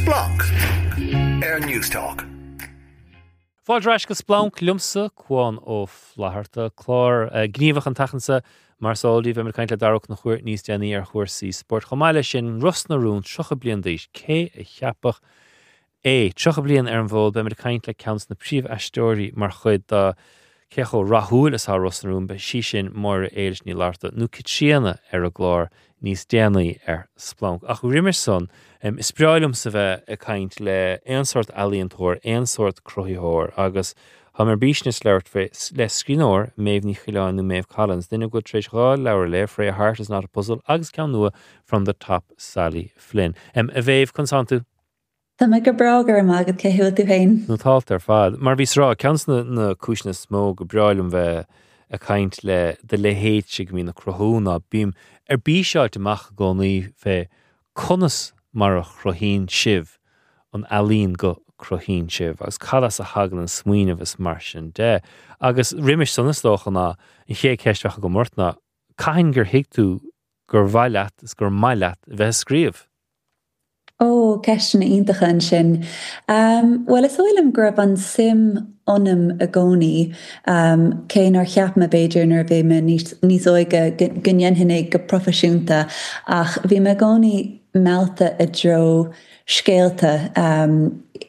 Splanc ar Newstalk. Fáilte ar ais go Splanc liomsa, Cuán Ó Flatharta. Clár gníomhach an tseachtain seo, mar is eol daoibh, beimid ag caint le Dara Ó Conchúir níos déanaí ar chúrsaí spóirt. Chomh maith leis sin, Ros na Rún, 30 bliain d'aois, cé a cheapfadh é? 30 bliain ar an bhfód, beimid ag caint le ceann de na príomh-aisteoirí mar chuid de cé chomh rathúil is atá Ros na Rún, beidh sí sin, Máire Éilis Ní Fhlatharta, nó Caitríona, ar an gclár níos déanaí ar Splanc. Ach roimis san, is breá liomsa bheith ag caint le aon sórt ealaíontóir, aon sórt cruthaitheoir agus táim ar bís anois labhairt fé, le scríbhneoir, Méabh Ní Choileáin nó Maeve Collins, duine go bhfuil tar éis 2 leabhar a léamh, Freya Heart is not a Puzzle agus ceann nua, From the Top, Sally Flynn. A Mhéabh, conas tánn tú? Tá mé go breá, go raibh maith agat, cé bhfuil tú féin? Nótálta ar fad. Mar a bhíos ag rá, ceann de na cúiseanna is mó go breá liom bheith ag caint le do leithéidse go mbíonn ag cruthú ná bím ar bís a fháilt amach i gcónaí fé conas mar a chruthaíonn sibh an ealaín go cruthaíonn sibh agus cad as a thagann an smaoineamh is mar sin de. Agus roimis san is dócha ná an chéad cheist a bheadh agam ort ná cathain gur thuig tú gur mhaith leat is gur maith leat a bheith ag scríobh? Ó, ceisteanna iontacha ansin. Bhuel, is dóigh liom go raibh an suim ionam i gcónaí, cé nár cheap mé, b'fhéidir, nuair a bhí mé níos óige go ndéanfainn é go proifisiúnta, ach bhí mé i gcónaí meallta i dtreo scéalta,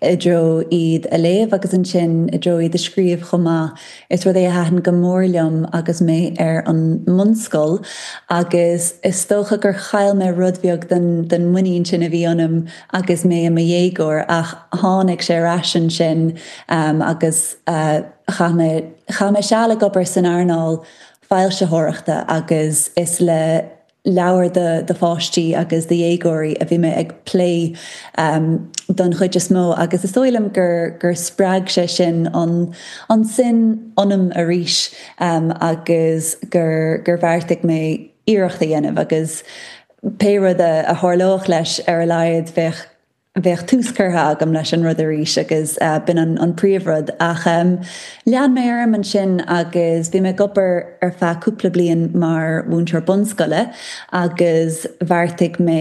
i dtreo iad a léamh agus ansin i dtreo iad a scríobh chomh maith. Is rud é a thaitin go mór liom agus mé ar an mbunscoil agus is dócha gur chaill mé rud beag den den muinín sin a bhí ionam agus mé i mo dhéagóir ach tháinig sé ar ais ansin agus chaith mé chaith mé seal ag obair san earnáil foilsitheoireachta agus is le leabhair do pháistí agus do dhéagóirí a bhí mé ag plé don chuid is mó agus is dóigh liom gur gur spreag sé sin an an suim ionam arís agus gur gur bheartaigh mé iarracht a dhéanamh agus pé rud a a tharlódh leis ar a laghad bheadh bheadh tús curtha agam leis an rud arís agus b'in an príomhrud. Ach lean mé orm ansin agus bhí mé ag obair ar feadh cúpla bliain mar mhúinteoir bunscoile agus bheartaigh mé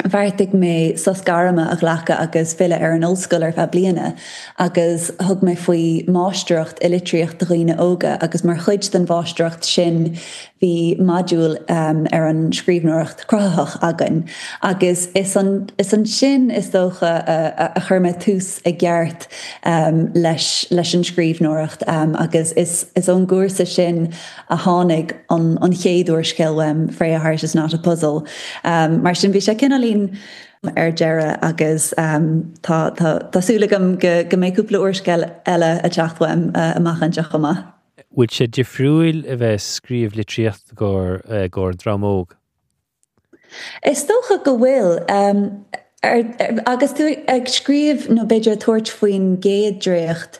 bheartaigh mé sos gairme a ghlacadh agus filleadh ar an ollscoil ar feadh bliana agus thug mé faoi mháistreacht i litríocht do dhaoine óga agus mar chuid den mháistreacht sin Bhí modúl ar an scríbhneoireacht chruthaitheach againn agus is is ansin is dócha a chuir mé tús i gceart leis leis an scríbhneoireacht agus is is ón gcúrsa sin a tháinig an an chéad úrscéal uaim, Freya Heart is Not a Puzzle. Mar sin bhí sé cineáilín ar deireadh agus tá tá tá súil agam go go mbeidh cúpla úrscéal eile ag teacht uaim amach anseo chomh maith. Bhfuil sé difriúil a bheith ag scríobh litríocht i gcomhair dream óg? Is dócha go bhfuil. Agus tú ag scríobh nó b'fhéidir ag tabhairt faoin gcéad dréacht,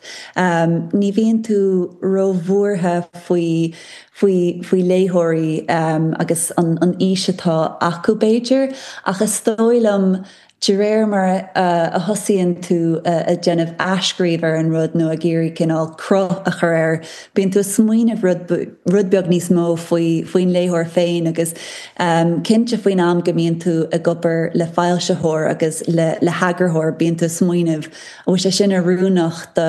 ní bhíonn tú róbhuartha faoi faoi faoi léitheoirí agus an aois atá acu b'fhéidir, ach is dóigh liom De réir mar a thosaíonn tú ag déanamh athscríobh ar an rud nó ag iarraidh cineál cruth a chur air, bíonn tú ag smaoineamh rud rud beag níos mó faoi faoin léitheoir féin agus cinnte faoin am go mbíonn tú ag obair le foilsitheoir agus le le heagarthóir bíonn tú ag smaoineamh an bhfuil sé sin oiriúnach do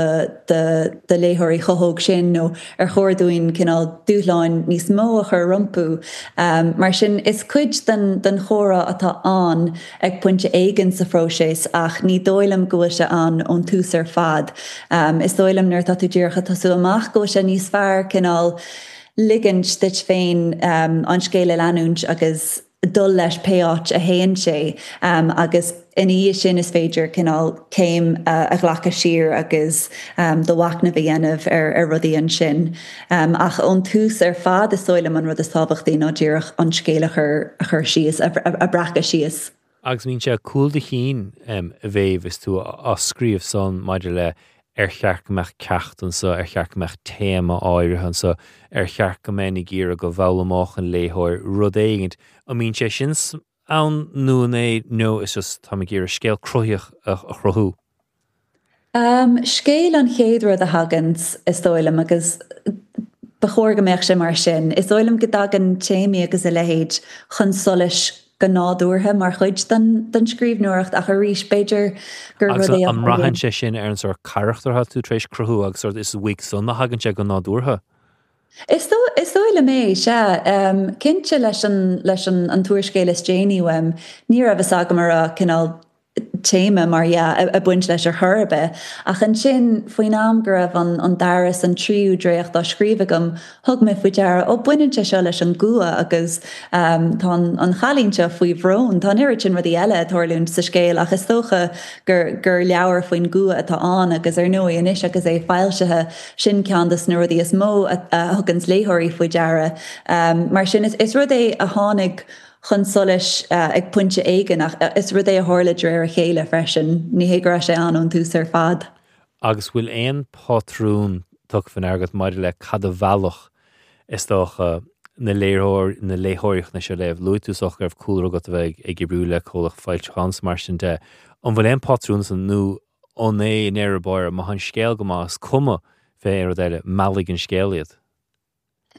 do do léitheoirí chomh hóg sin nó ar chóir dúinn cineál dúshláin níos mó a chur rompu. Mar sin is cuid den den chomhrá atá ann ag pointe éigin sa phróiseas ach ní dóigh liom go bhfuil sé ann ón tús ar fad. Is dóigh liom nuair atá tú díreach ag tosú amach go bhfuil sé níos fearr cineál ligint duit féin an scéal a leanúint agus dul leis pé áit a théann sé agus ina dhiaidh sin is féidir cineál céim a ghlacadh siar agus do mhachnamh a dhéanamh ar rudaí ansin. Ach ón tús ar fad, is dóigh liom an rud is tábhachtaí ná díreach an scéal a chur a chur síos, a bhreacadh síos. Agus mbíonn sé cúl do chinn, a Mhéabh, is tú á scríobh san maidir le ar cheart go mbeadh ceacht anso, ar cheart go mbeadh téama áirithe anso, ar cheart go mbeinn ag iarraidh go bhfoghlaimeodh an léitheoir rud éigint. An mbíonn sé sin ann nó an é nó is just táim ag iarraidh scéal cruthaíoch a chruthú? Scéal an chéad rud a thaganns, is dóigh liom, agus ba chóir go mbeadh sé mar sin. Is dóigh liom go dtagann téamaí agus a leithéid chun solais. go nádúrtha mar chuid den den scríbhneoireacht ach arís b'fhéidir gur Agus rud é a an mbraitheann sé sin ar an sórt carachtar atá tú tar éis cruthú agus sórt is uaidh san a thagann sé go nádúrtha? Is dóigh is dóigh liom é, sea. Cinnte leis an leis an an t-úrscéal is déanaí uaim, ní raibh fhios agam an raibh cineál téama, mar dhea, ag baint leis ar chor ar bith. Ach ansin, faoin am go raibh an an dara is an tríú dréacht á scríobh agam, thug mé faoi deara, ó, baineann sé seo leis an gcumha agus tá an an chailín seo faoi bhrón. Tá an oiread sin rudaí eile ag tarlúint sa scéal ach is dócha gur gur leabhar faoin gcumha atá ann agus ar ndóigh anois agus é foilsithe, Sin ceann de na rudaí is mó a thuganns léitheoirí faoi deara. Mar sin, is rud é a tháinig chun solais ag pointe éigin ach is rud é a tharla de réir a chéile freisin. Ní hé go raibh sé ann ón tús ar fad. Agus bhfuil aon phátrún tugtha faoi ndeara agat maidir le cad a mheallfadh, is dócha, na léitheoirí na léitheoirí chun é seo a léamh? Luaigh tú is dócha go raibh cúlra agat a bheith ag oibriú le comhlacht foilseacháin is mar sin de. An bhfuil aon pátrún ansan nó an é i ndeireadh báire, má tá an scéal go maith, is cuma fé aon rud eile, meallfaidh an scéal iad.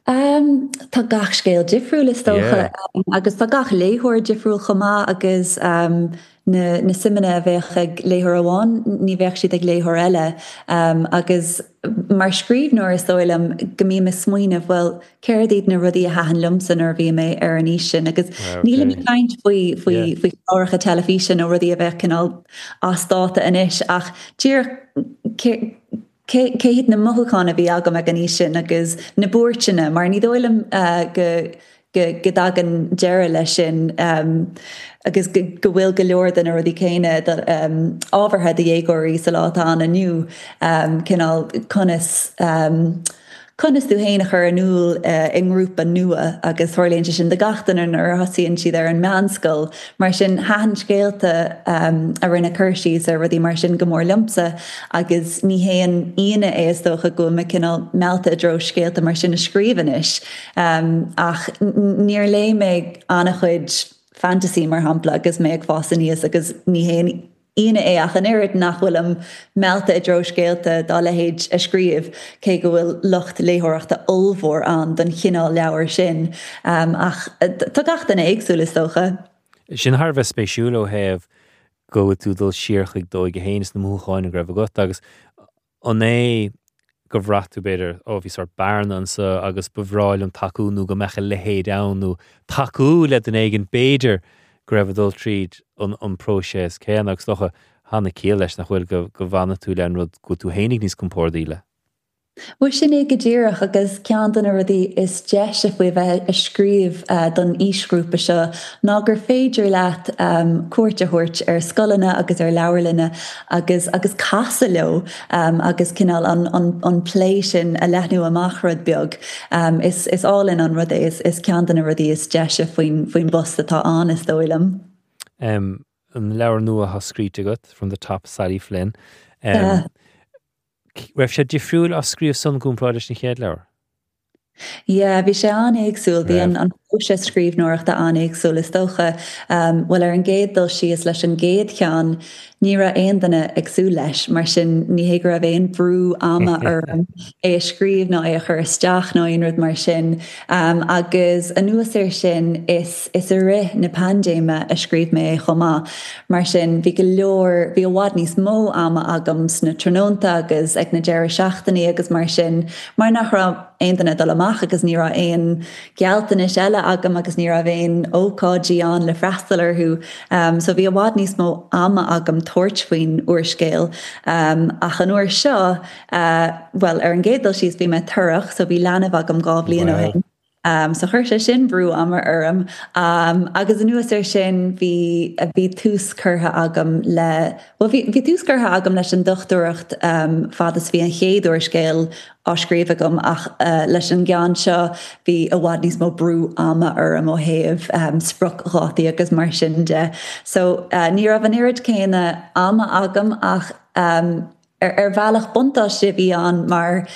Um, tá gach scéal difriúil is dócha, agus tá gach léitheoir difriúil chomh maith agus um, na, na suimeanna a bheadh ag léitheoir amháin, ní bheadh siad ag léitheoir eile. Um, agus mar scríbhneoir is dóigh liom go mbím ag smaoineamh, bhuel, Céard iad na rudaí a thaitin liomsa nuair a bhí mé ar an aois sin? Agus nílim ag caint faoi faoi faoi chláracha teilifíse nó rudaí a bheadh cineál as dáta anois ach díreach cé cé cé hiad na mothúcháin a bhí agam ag an aois sin agus na buairteanna mar ní dóigh liom go go go dtagann deireadh leis sin agus go go bhfuil go leor de na rudaí céanna ábhartha do dhéagóirí sa lá atá ann inniu cineál conas Conas tú féin a chur in iúl i ngrúpa nua agus tarlaíonn sé sin do gach duine nuair a thosaíonn siad ar an meánscoil. Mar sin, thaitin scéalta a rinne cur síos ar rudaí mar sin go mór liomsa agus ní haon ionadh é is dócha go bhfuil mé cineál meallta i dtreo scéalta mar sin a scríobh anois. Ach níor léigh mé an-chuid fantasy mar shampla agus mé ag fás aníos agus ní haon ionadh é ach an oiread nach bhfuilim meallta i dtreo scéalta dá leithéid a scríobh, cé go bhfuil lucht léitheoireachta ollmhór ann don chineál leabhar sin. Ach tá gach duine éagsúil, is dócha. Sin thar a bheith spéisiúil ó thaobh go bhfuil tú ag dul siar chuig d'óige féin is na mothúcháin a raibh agat agus An é gur bhraith tú, b'fhéidir, ó, bhí sórt bearna anso agus ba bhreá liom tacú nó go mbeadh a leithéid ann nó tacú le duine éigin, b'fhéidir, go raibh ag dul tríd an an próiseas céanna agus is dócha, tá an-chiall leis, nach bhfuil, go go bhfanfaidh tú le an rud go bhfuil tú fhéinig níos compórdaí le. Bhuel, sin é go díreach, agus ceann de na rudaí is deise faoi bheith ag scríobh don aoisghrúpa seo ná gur féidir leat cuairt a thabhairt ar scoileanna agus ar leabharlanna agus agus casadh leo agus cineál an an an plé sin a leathnú amach rud beag. Is is álainn an rud é, is is ceann de na rudaí is deise faoin faoin bpost atá ann, is dóigh liom. An leabhar nua atá scríte agat, From the Top, Sally Flynn. Raibh sé difriúil á scríobh san i gcomparáid leis an chéad leabhar? Yeah, bhí sé an-éagsúil. Bhí an an próiseas scríbhneoireachta an-éagsúil is dócha. Bhuel, ar an gcéad dul síos leis an gcéad cheann, ní raibh aon duine ag súil leis, mar sin ní hé go raibh aon bhrú ama orm é a scríobh ná é a chur isteach ná aon rud mar sin. Agus anuas air sin, is is i rith na paindéime a scríobh mé é chomh maith. Mar sin bhí go leor, bhí i bhfad níos mó ama agam sna tráthnónta agus ag na deireadh seachtainí agus mar sin. Mar nach raibh aon duine ag dul amach agus ní raibh aon ghealltanais eile agam agus ní raibh aon ócáidí ann le freastal orthu so bhí i bhfad níos mó ama agam tabhairt faoin úrscéal. Ach an uair seo, bhuel, ar an gcéad dul síos bhí mé torrach so bhí leanbh agam 2 bhliain ó shin. So chuir sé sin brú ama orm. Agus anuas air sin bhí, bhí tús curtha agam le, bhuel bhí, bhí tús curtha agam leis an dochtúireacht fad is bhí an chéad úrscéal á scríobh agam ach leis an gceann seo bhí i bhfad níos mó brú ama orm ó thaobh spriocdhátaí agus mar sin de. So ní raibh an oiread céanna ama agam ach Ar bhealach, buntáiste a bhí ann mar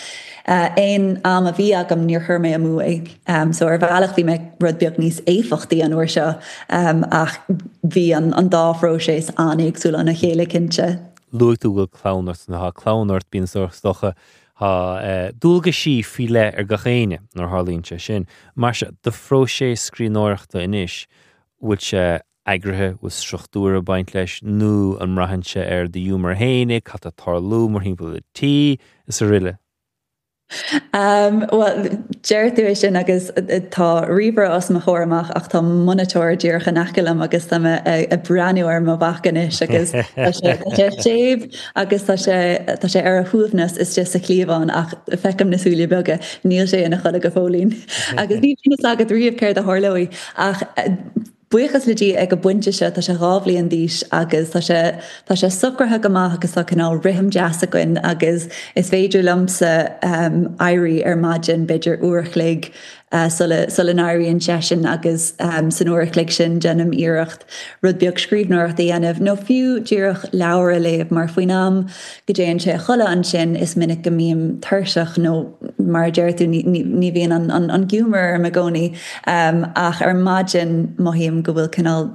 aon am a bhí agam níor chuir mé amú é. So ar bhealach bhí mé rud beag níos éifeachtaí an uair seo ach bhí an dá phróiseas an-éagsúil óna chéile cinnte. Luaigh tú go bhfuil clann ort, nuair atá clann ort bíonn is dócha tá dualgaisí faoi leith ar gach éinne nuair a tharlaíonn sé sin. Mar sin, do phróiseas scríbhneoireachta anois, Bhfuil sé eagraithe, bhfuil struchtúr ag baint leis, nó an mbraitheann sé ar do ghiúmar fhéinig, cad tá ag tarlú mórthimpeall an tí, is aroile? Bhuel, deir tú é sin agus tá ríomhaire os mo chomhair amach ach tá monatóir díreach in aice liom agus tá mé ag breathnú ar mo mhac anois agus tá sé tá sé séimh agus tá sé tá sé ar a shuaimhneas istigh sa chliabhán ach feicim na súile beaga, níl sé ina chodladh go fóillín. Agus ní bhíonn fhios agat riamh céard a tharlóidh ach Buíochas le Dia ag an bpointe seo tá sé 2 bhliain d'aois agus tá sé tá sé socraithe go maith agus tá cineál rithim deas againn agus is féidir liomsa éirí ar maidin b'fhéidir uair a chloig sula sula n-éiríonn seisean agus san uair a chloig sin déanaim iarracht rud beag scríbhneoireachta a dhéanamh nó fiú díreach leabhar a léamh mar faoin am go dtéann sé a chodladh ansin is minic go mbím tuirseach nó mar a deir tú ní bhíonn an giúmar orm i gcónaí ach ar maidin mothaím go bhfuil cineál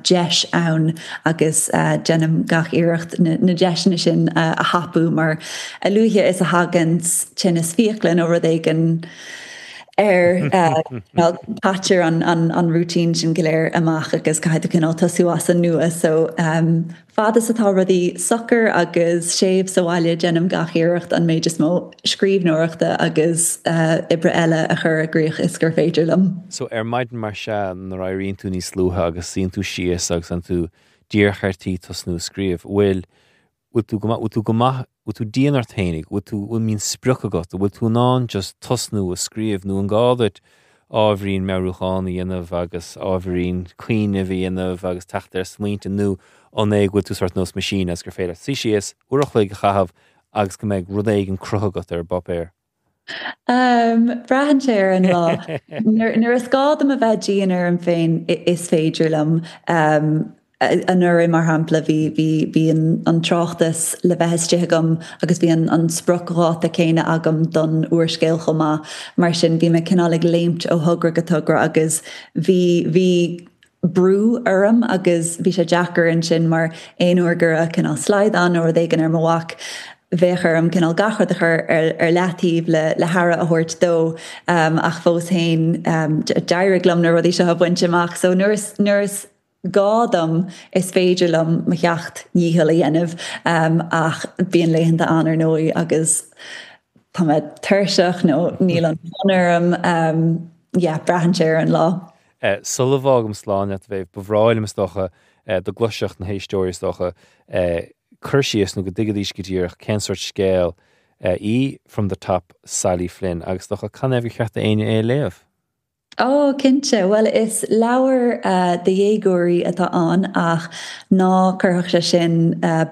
deis ann agus déanaim gach iarracht na deiseanna sin a thapú mar a luaithe is a thagann tinneas fiacla nó rud éigin air caitear an routine sin go léir amach agus caithfidh tú cineál tosú as an nua so Fad is atá rudaí socair agus séimh sa bhaile déanaim gach iarracht an méid is mó scríbhneoireachta agus oibre eile a chur i gcrích is gur féidir liom. So ar maidin mar sea nuair a éiríonn tú níos luaithe agus suíonn tú síos agus tá tú díreach ar tí tosnú ag scríobh, bhfuil, bhfuil tú go maith, bhfuil tú go maith, bhfuil tú dian ort fhéinig, bhfuil tú, bhfuil mbíonn sprioc agat, bhfuil tú in ann just tosnú ag scríobh nó an gá duit ábhairín meabhrúcháin a dhéanamh agus ábhairín cuimhnimh a dhéanamh agus teacht ar smaointe nó an é go bhfuil tú sórt nós machine agus gur féidir leat suí síos, uair a chloig a chaitheamh agus go mbeidh rud éigin cruthaithe agat ar an bpáipéar? Braitheann sé ar an lá. Nuair is gá dom a bheith dian orm féin is féidir liom. Anuraidh, mar shampla, bhí, bhí, bhí an, an tráchtas le bheith istigh agam agus bhí an, an spriocdháta céanna agam don úrscéal chomh maith. Mar sin, bhí mé cineál ag léimt ó thogra go togra agus bhí, bhí brú orm agus bhí sé deacair ansin mar aon uair go raibh cineál slaghdán nó rud éigin ar mo mhac, bheadh orm cineál gach rud a chur ar, ar leataobh le, le haire a thabhairt dó ach fós féin d'éirigh liom na rudaí seo a bhaint amach. So nuair is, nuair is. gá dom, is féidir liom mo sheacht ndícheall a dhéanamh ach bíonn laethanta ann ar ndóigh agus tá mé tuirseach nó níl an fonn orm, yeah, braitheann sé ar an lá. Sula bhfágaim slán leat, a Mhéabh, ba bhreá liom is dócha dá gcloisfeadh na héisteoirí is dócha cur síos nó go dtuigfidís go díreach cén sórt scéil í From the Top, Sally Flynn agus is dócha canathaobh gur cheart d'éinne é a léamh. Ó, cinnte. Bhuel, is leabhar do dhéagóirí atá ann ach ná cuirfeadh sé sin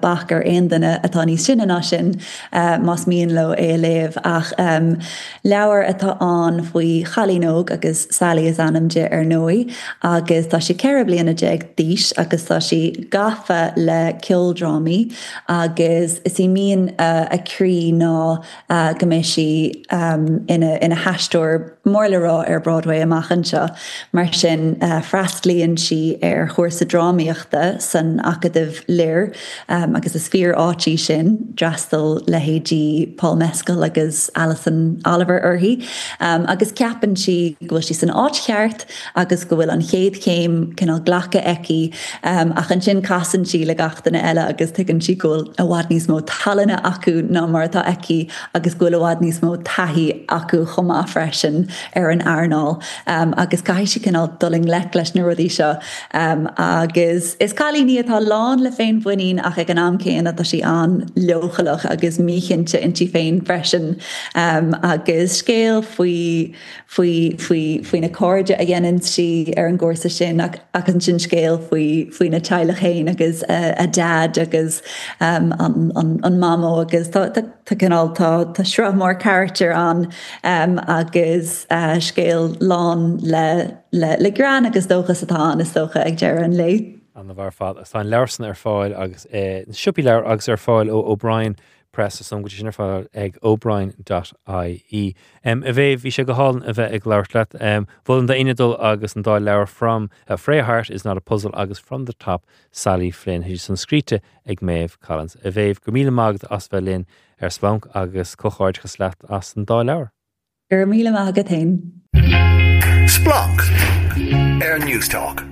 bac ar aon duine atá níos sine ná sin más mian leo é a léamh. Ach leabhar atá ann faoi chailín óg agus Sally is ainm di ar ndóigh agus tá sí 14 bliana d'aois agus tá sí gafa le ceoldrámaí agus is í mian a croí ná go mbeidh sí ina haisteoir mór le rá ar Broadway amach anseo. Mar sin, freastalaíonn sí ar chúrsa drámaíochta san Acadamh Lir agus is fíor-áit í sin, d'fhreastail leithéidí Paul Mescal agus Alison Oliver uirthi, agus ceapann sí go bhfuil sí san áit cheart agus go bhfuil an chéad chéim cineál glactha aici ach ansin casann sí le gach duine eile agus tuigeann sí go bhfuil i bhfad níos mó tallainne acu ná mar atá aici agus go bhfuil i bhfad níos mó taithí acu chomh maith freisin ar an earnáil agus caithfidh sí cineál dul i ngleic leis na rudaí seo agus is cailín í atá lán le féinmhuinín ach ag an am céanna tá sí an-leochaileach agus míchinnte inti féin freisin agus scéal faoi faoi, faoi, faoi na cairde a dhéanann sí ar an gcúrsa sin ach, ach ansin scéal faoi, faoina teaghlach féin agus a, a daid agus um, an, an, an mamó agus tá, tá, tá cineál, tá, tá sruth mór carachtar ann um, agus uh, scéal lán le, le, le greann agus dóchas atá ann is dócha ag deireadh an lae. An-mhaith ar fad. Agus tá an leabhar san ar fáil agus eh, na siopaí leabhar agus ar fáil ó O'Brien Press is dóigh liom go bhfuil sé sin ar fáil ag O'Brien dot ie. A Mhéabh, bhí sé go hálainn a bheith ag labhairt leat. Mholfainn d'éinne dul agus an dá leabhar From, Frail Heart is Not a Puzzle agus From the Top, Sally Flynn. Tá siad san scríte ag Maeve Collins. A Mhéabh, go raibh míle maith agat as bheith linn ar Splanc agus comhghairdeachas leat as an dá leabhar. Go raibh míle maith agat féin. Splanc ar Newstalk.